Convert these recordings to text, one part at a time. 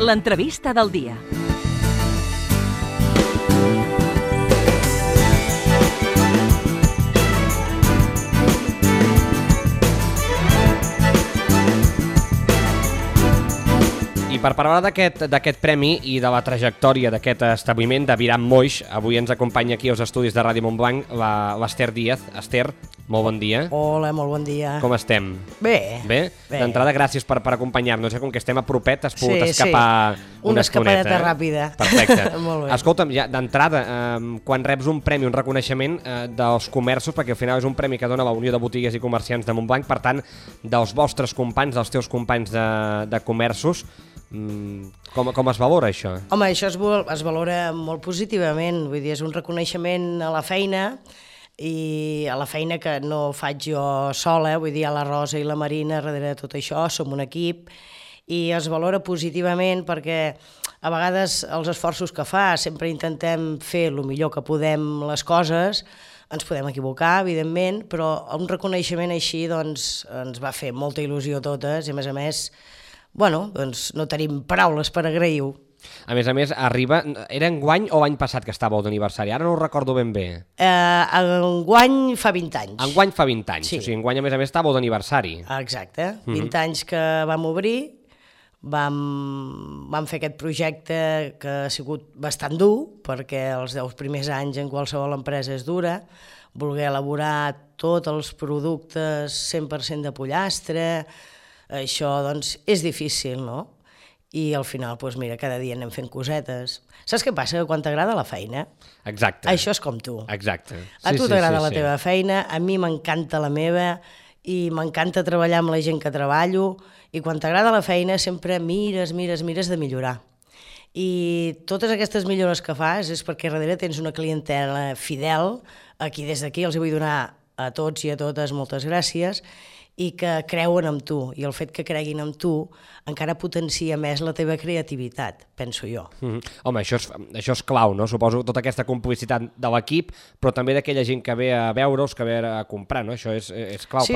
L'entrevista del dia. I per parlar d'aquest premi i de la trajectòria d'aquest establiment de Viram Moix, avui ens acompanya aquí als estudis de Ràdio Montblanc l'Ester Díaz. Ester, molt bon dia. Hola, molt bon dia. Com estem? Bé. Bé? D'entrada, gràcies per acompanyar-nos. Com que estem a propet, has pogut escapar una estoneta. Escapadeta ràpida. Perfecte. Molt bé. Escolta'm, ja d'entrada, quan reps un premi, un reconeixement dels comerços, perquè al final és un premi que dona la Unió de Botiguers i Comerciants de Montblanc, per tant, dels vostres companys, dels teus companys de comerços, com es valora això? Home, això es valora molt positivament, vull dir, és un reconeixement a la feina, i a la feina que no faig jo sola, vull dir, a la Rosa i la Marina darrere de tot això, som un equip, i es valora positivament perquè a vegades els esforços que fa, sempre intentem fer el millor que podem les coses, ens podem equivocar, evidentment, però un reconeixement així doncs, ens va fer molta il·lusió a totes, i a més, bueno, doncs no tenim paraules per agrair-ho. A més, arriba... Era enguany o l'any passat que estàveu d'aniversari? Ara no ho recordo ben bé. Enguany fa 20 anys. Enguany fa 20 anys, sí. O sigui, enguany a més estàveu d'aniversari. Exacte, 20 anys que vam obrir, vam fer aquest projecte que ha sigut bastant dur, perquè els 10 primers anys en qualsevol empresa és dura, voler elaborar tots els productes 100% de pollastre, això doncs és difícil, no? I al final, doncs mira, cada dia anem fent cosetes. Saps què passa? Que quan t'agrada la feina, exacte. Això és com tu. Exacte. A tu t'agrada la teva feina, a mi m'encanta la meva, i m'encanta treballar amb la gent que treballo, i quan t'agrada la feina sempre mires de millorar. I totes aquestes millores que fas és perquè darrere tens una clientela fidel, aquí des d'aquí els vull donar a tots i a totes moltes gràcies, i que creuen en tu, i el fet que creguin en tu encara potencia més la teva creativitat, penso jo. Home, això és clau, no? Suposo tota aquesta complicitat de l'equip, però també d'aquella gent que ve a veure-us, que ve a comprar, no? Això és clau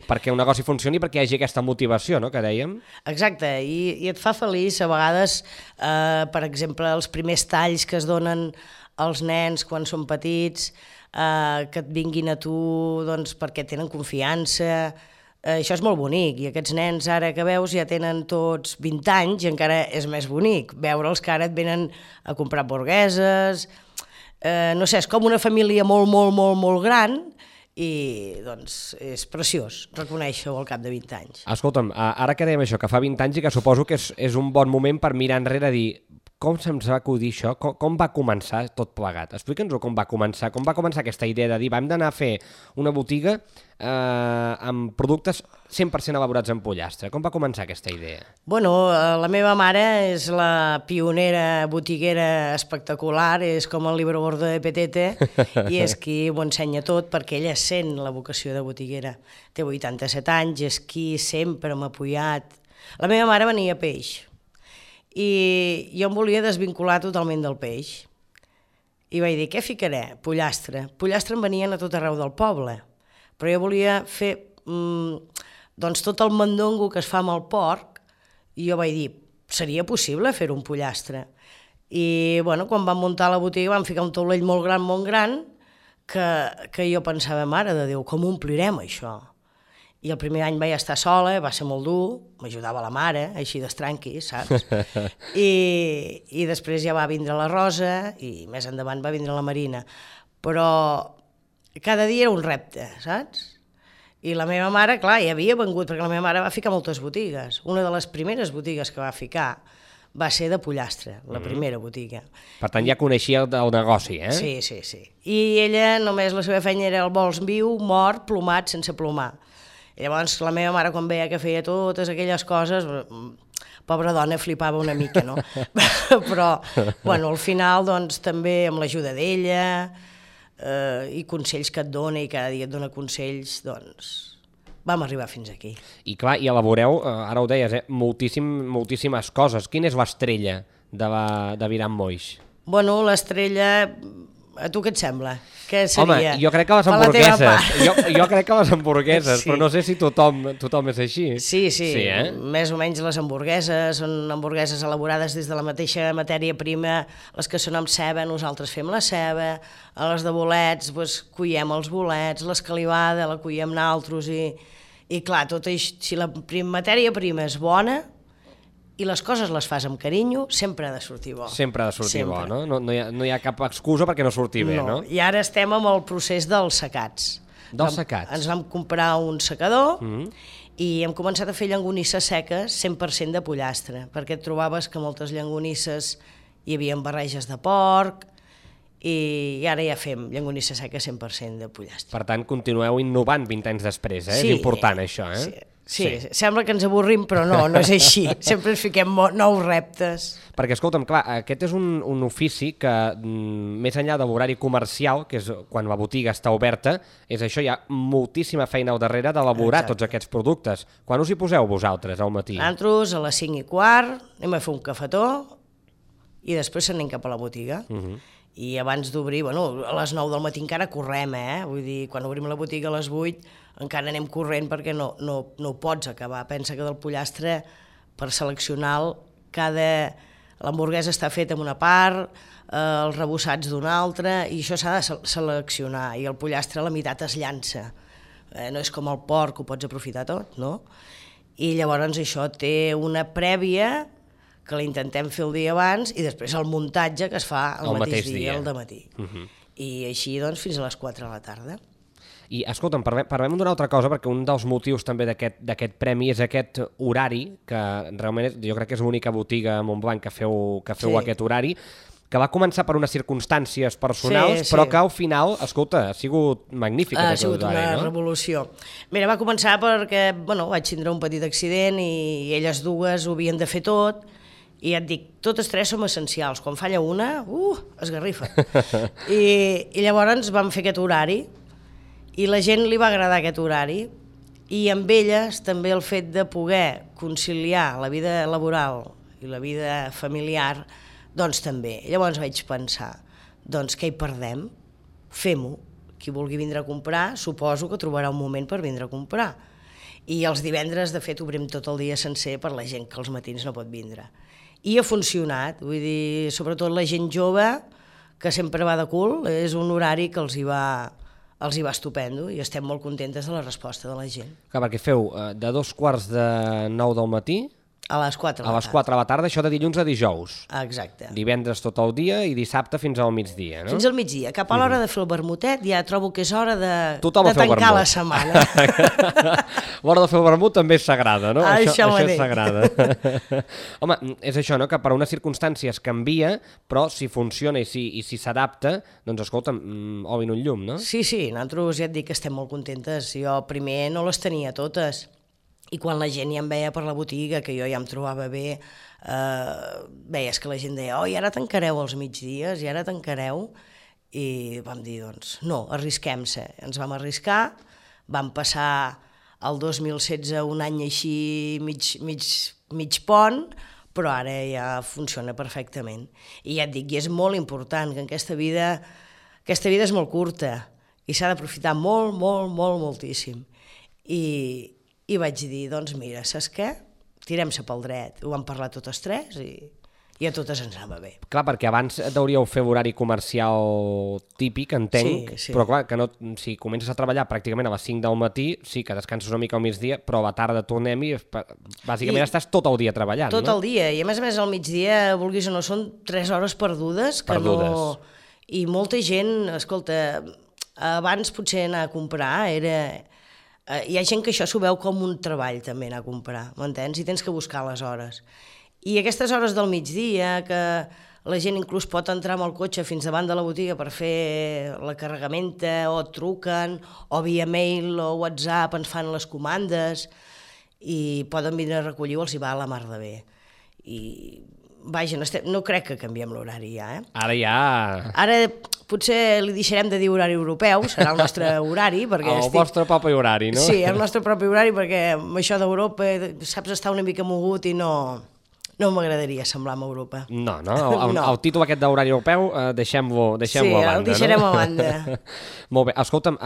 perquè un negoci funcioni, perquè hi hagi aquesta motivació, no?, que dèiem. Exacte, i et fa feliç a vegades, per exemple, els primers talls que es donen als nens quan són petits, que et vinguin a tu doncs, perquè tenen confiança, això és molt bonic, i aquests nens ara que veus ja tenen tots 20 anys i encara és més bonic veure'ls que ara et venen a comprar hamburgueses, no sé, és com una família molt gran, i doncs és preciós reconèixer-ho al cap de 20 anys. Escolta'm, ara que dèiem això, que fa 20 anys i que suposo que és un bon moment per mirar enrere i dir com se'ns va acudir això, com va començar tot plegat? Explica'ns-ho com va començar aquesta idea de dir vam d'anar a fer una botiga amb productes 100% elaborats en pollastre. Com va començar aquesta idea? Bueno, la meva mare és la pionera botiguera espectacular, és com el libro gordo de Petete, i és qui ho ensenya tot perquè ella sent la vocació de botiguera. Té 87 anys, és qui sempre m'ha apoyat. La meva mare venia peix, i jo em volia desvincular totalment del peix. I vaig dir, què ficaré? Pollastre. Pollastre en venien a tot arreu del poble, però jo volia fer doncs tot el mandongo que es fa amb el porc, i jo vaig dir, seria possible fer un pollastre? I bueno, quan vam muntar la botiga vam ficar un taulell molt gran, que jo pensava, mare de Déu, com omplirem això? I el primer any vaig estar sola, va ser molt dur, m'ajudava la mare, així d'estranqui, saps? I després ja va vindre la Rosa, i més endavant va vindre la Marina. Però cada dia era un repte, saps? I la meva mare, clar, ja havia vengut, perquè la meva mare va ficar moltes botigues. Una de les primeres botigues que va ficar va ser de pollastre, la primera botiga. Per tant, ja coneixia el negoci, eh? Sí. I ella només la seva feina era el vols viu, mort, plomat, sense plomar. I llavors la meva mare, quan veia que feia totes aquelles coses, pobra dona, flipava una mica, no? Però, bueno, al final, doncs, també amb l'ajuda d'ella i consells que et dona, i cada dia et dona consells, doncs, vam arribar fins aquí. I clar, i elaboreu, ara ho deies, moltíssimes coses. Quina és l'estrella de Viram Moix? Bueno, l'estrella A tu què et sembla? Què Home, seria? jo crec que les Per la teva hamburgueses. part. Jo crec que les hamburgueses, Sí. però no sé si tothom és així. Sí, Sí, més o menys les hamburgueses són hamburgueses elaborades des de la mateixa matèria prima, les que són amb ceba, nosaltres fem la ceba, a les de bolets, doncs, cuiem els bolets, l'escalivada la cuiem naltros i clar, tot això, si la matèria prima és bona i les coses les fas amb carinyo, sempre ha de sortir bo. Sempre ha de sortir bo, Sempre. no? No hi ha cap excusa perquè no surti bé, no? I ara estem amb el procés dels secats. Dels secats. Ens vam comprar un secador i hem començat a fer llangonisses seques 100% de pollastre, perquè et trobaves que moltes llangonisses hi havia barreges de porc i ara ja fem llangonissa seca 100% de pollastre. Per tant, continueu innovant 20 anys després, és important això, eh? Sí, sembla que ens avorrim, però no és així. Sempre ens fiquem nous reptes. Perquè, escolta'm, clar, aquest és un ofici que, més enllà de l'horari comercial, que és quan la botiga està oberta, és això, hi ha moltíssima feina al darrere d'elaborar tots aquests productes. Quan us hi poseu vosaltres al matí? Nosaltres a les 5:15 anem a fer un cafetó i després anem cap a la botiga. I abans d'obrir, bueno, a les 9 del matí encara correm, Vull dir, quan obrim la botiga a les 8 encara anem corrent perquè no ho pots acabar. Pensa que del pollastre, per seleccionar l'hamburguesa està feta en una part, els rebossats d'una altra, i això s'ha de seleccionar, i el pollastre a la meitat es llança. No és com el porc, que ho pots aprofitar tot, no? I llavors això té una prèvia que l'intentem fer el dia abans i després el muntatge que es fa el mateix dia, el dematí. I així, doncs, fins a les 4 de la tarda. I, escolta'm, parlem d'una altra cosa, perquè un dels motius també d'aquest premi és aquest horari, que realment jo crec que és l'única botiga a Montblanc que feu aquest horari, que va començar per unes circumstàncies personals, però que al final, escolta, ha sigut magnífic. Ha sigut una revolució. Mira, va començar perquè, vaig tindre un petit accident i elles dues ho havien de fer tot, i ja et dic, totes tres som essencials. Quan falla una, esgarrifa. I llavors vam fer aquest horari, i la gent li va agradar aquest horari, i amb elles també el fet de poder conciliar la vida laboral i la vida familiar, doncs també. Llavors vaig pensar, doncs què hi perdem? Fem-ho. Qui vulgui vindre a comprar, suposo que trobarà un moment per vindre a comprar. I els divendres, de fet, obrim tot el dia sencer per la gent que als matins no pot vindre. I ha funcionat, vull dir, sobretot la gent jove, que sempre va de cul, és un horari que els hi va estupendo i estem molt contentes de la resposta de la gent. Clar, perquè feu de 2:45 del matí a les 4 de la tarda. A les 4 de la tarda, això de dilluns a dijous. Exacte. Divendres tot el dia i dissabte fins al migdia, no? Fins al migdia. Cap a l'hora de fer el vermutet ja trobo que és hora de tancar la setmana. L'hora de fer el vermut també és sagrada, no? Això és sagrada. Home, és això, no? Que per unes circumstàncies canvia, però si funciona i si s'adapta, doncs escolta'm, obrin un llum, no? Sí, nosaltres ja et dic que estem molt contentes. Jo primer no les tenia totes. I quan la gent ja em veia per la botiga, que jo ja em trobava bé, veies que la gent deia, i ara tancareu els migdies, i ara tancareu, i vam dir, doncs, no, arrisquem-se. Ens vam arriscar, vam passar el 2016 un any així mig pont, però ara ja funciona perfectament. I ja et dic, i és molt important que en aquesta vida és molt curta, i s'ha d'aprofitar molt, molt, molt, moltíssim. I vaig dir, doncs mira, saps què? Tirem-se pel dret. Ho vam parlar totes tres i a totes ens anava bé. Clar, perquè abans hauríeu fer l'horari comercial típic, entenc, però clar, que no, si comences a treballar pràcticament a les 5 del matí, sí que descanses una mica al migdia, però a la tarda tornem i bàsicament estàs tot el dia treballant, no? Tot el dia, i a més al migdia, vulguis o no, són 3 hores perdudes. I molta gent, escolta, abans potser anar a comprar era... Hi ha gent que això s'ho veu com un treball també anar a comprar, m'entens? I tens que buscar les hores. I aquestes hores del migdia, que la gent inclús pot entrar amb el cotxe fins davant de la botiga per fer la carregamenta, o et truquen, o via mail o WhatsApp ens fan les comandes, i poden venir a recollir-ho, els hi va a la mar de bé. I vaja, no crec que canviem l'horari ja, Ara ja... Ara potser li deixarem de dir horari europeu, serà el nostre horari, perquè el vostre propi horari, no? Sí, el nostre propi horari, perquè amb això d'Europa saps estar una mica mogut i no No m'agradaria semblar amb Europa. No, el títol aquest d'horari europeu deixem-lo a banda. Sí, el deixarem a banda. Molt bé, escolta'm,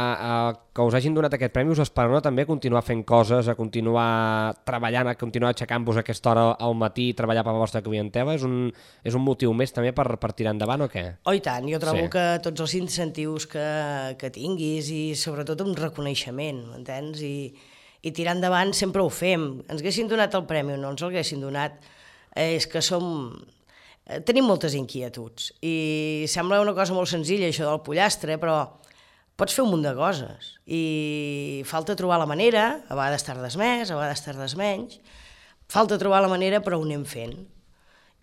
que us hagin donat aquest premi us esperona també a continuar fent coses, a continuar treballant, a continuar aixecant-vos a aquesta hora al matí i treballar per la vostra clientela? És un motiu més també per tirar endavant o què? Oh, i tant, jo trobo que tots els incentius que tinguis i sobretot un reconeixement, m'entens? I tirar endavant sempre ho fem. Ens haguessin donat el premi o no ens el haguessin donat, és que tenim moltes inquietuds i sembla una cosa molt senzilla això del pollastre, però pots fer un munt de coses i falta trobar la manera, a vegades tardes més, a vegades tardes menys, falta trobar la manera però ho anem fent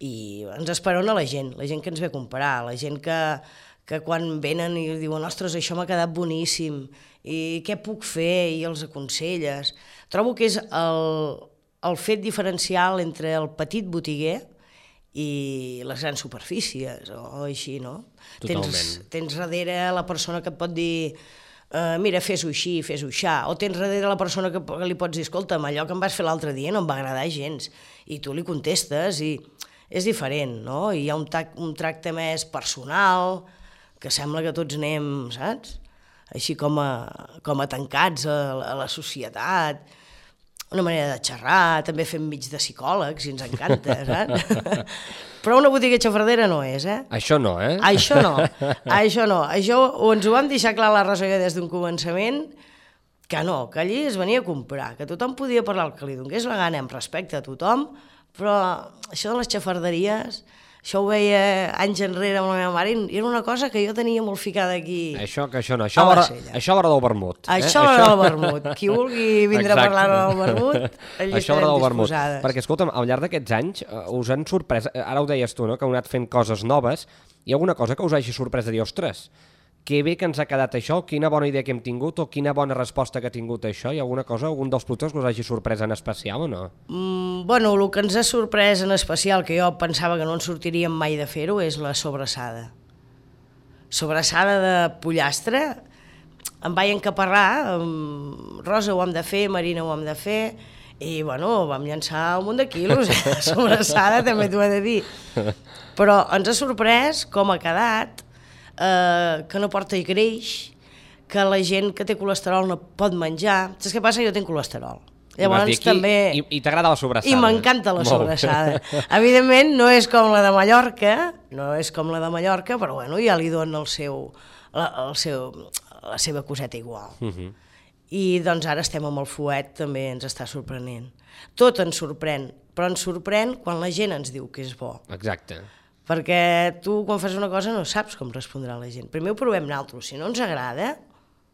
i ens esperona la gent que ens ve a comprar, la gent que quan venen i diuen ostres, això m'ha quedat boníssim i què puc fer i els aconselles. Trobo que és el fet diferencial entre el petit botiguer i les grans superfícies o així, no? Totalment. Tens darrere la persona que et pot dir mira, fes-ho així, fes-ho aixà, o tens darrere la persona que li pots dir escolta'm, allò que em vas fer l'altre dia no em va agradar gens, i tu li contestes i és diferent, no? I hi ha un tracte més personal, que sembla que tots anem, saps? Així com a tancats a la societat, una manera de xerrar, també fem mig de psicòlegs i ens encanta, saps? Però una botiga xafardera no és, eh? Això no, eh? Això no. Això ens ho vam deixar clar a la Rosa des d'un començament, que no, que allí es venia a comprar, que tothom podia parlar el que li donés la gana amb respecte a tothom, però això de les xafarderies, això ho veia anys enrere amb la meva mare i era una cosa que jo tenia molt ficada aquí. Això no. Això a l'hora del vermut. Això a l'hora del vermut. Qui vulgui vindre a parlar del vermut, allà estarem disposades. Perquè, escolta'm, al llarg d'aquests anys us han sorprès, ara ho deies tu, no?, que heu anat fent coses noves, hi ha alguna cosa que us hagi sorprès de dir, ostres, que bé que ens ha quedat això, quina bona idea que hem tingut o quina bona resposta que ha tingut això? Hi ha alguna cosa, algun dels productes que us hagi sorprès en especial o no? Bueno, el que ens ha sorprès en especial, que jo pensava que no ens sortiríem mai de fer-ho, és la sobrassada. Sobrassada de pollastre, em vaig encaparrar, Rosa ho hem de fer, Marina ho hem de fer, i bueno, vam llançar un munt de quilos, sobrassada també t'ho he de dir. Però ens ha sorprès com ha quedat, que no porta greix, que la gent que té colesterol no pot menjar. Saps què passa? Jo tinc colesterol. Llavors també... I t'agrada la sobrassada. I m'encanta la sobrassada. Evidentment no és com la de Mallorca, però bueno, ja li dona la seva coseta igual. I doncs ara estem amb el fuet, també ens està sorprenent. Tot ens sorprèn, però ens sorprèn quan la gent ens diu que és bo. Exacte. Perquè tu, quan fas una cosa, no saps com respondrà la gent. Primer ho provem nosaltres. Si no ens agrada,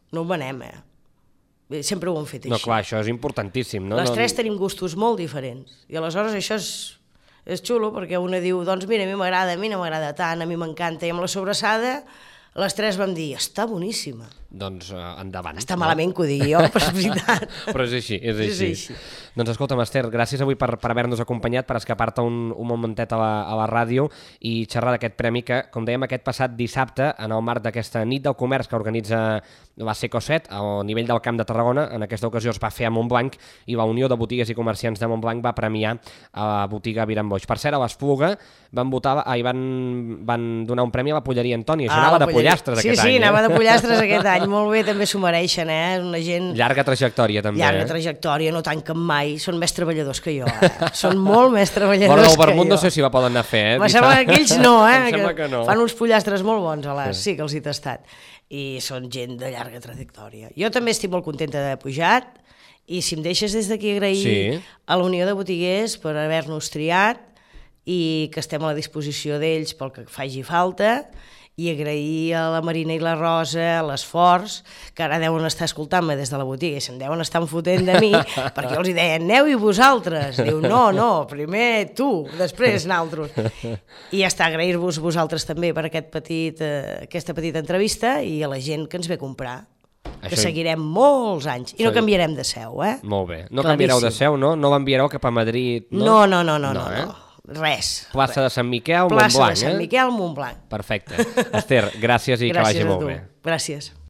no ho venem, Sempre ho hem fet així. No, clar, això és importantíssim, no? Les tres tenim gustos molt diferents. I aleshores això és xulo, perquè una diu, doncs mira, a mi m'agrada, a mi no m'agrada tant, a mi m'encanta. I amb la sobrassada, les tres vam dir, està boníssima. Doncs endavant. Està malament que ho digui jo, però és veritat. Però és així, és així. Doncs escolta'm, Ester, gràcies avui per haver-nos acompanyat, per escapar-te un momentet a la ràdio i xerrar d'aquest premi que, com dèiem, aquest passat dissabte, en el marc d'aquesta nit del comerç que organitza la Seco7 al nivell del Camp de Tarragona, en aquesta ocasió es va fer a Montblanc i la Unió de Botigues i Comerciants de Montblanc va premiar a la botiga Viran Boix. Per cert, a l'Espluga van donar un premi a la Polleria Antoni. Això anava de pollastres aquest any. Sí, anava de pollastres aquest any. Molt bé, també s'ho mereixen, una gent... Llarga trajectòria, també. Llarga trajectòria, no tanquen mai. Són més treballadors que jo, Són molt més treballadors que jo. Però del vermut no sé si la poden anar a fer, Em sembla que ells no, Em sembla que no. Fan uns pollastres molt bons, sí que els he tastat. I són gent de llarga trajectòria. Jo també estic molt contenta d'haver pujat i si em deixes des d'aquí agrair a la Unió de Botiguers per haver-nos triat i que estem a la disposició d'ells pel que faci falta i agrair a la Marina i la Rosa l'esforç, que ara deuen estar escoltant-me des de la botiga i se'n deuen estar fotent de mi, perquè jo els deia, aneu i vosaltres. Diu, no, primer tu, després naltros. I ja està, agrair-vos vosaltres també per aquesta petita entrevista i a la gent que ens ve a comprar, que seguirem molts anys. I no canviarem de seu, Molt bé. No canviareu de seu, no? No l'enviareu cap a Madrid, no? No. Res. Plaça de Sant Miquel, Montblanc. Plaça de Sant Miquel, Montblanc. Perfecte. Ester, gràcies i que vagi molt bé. Gràcies.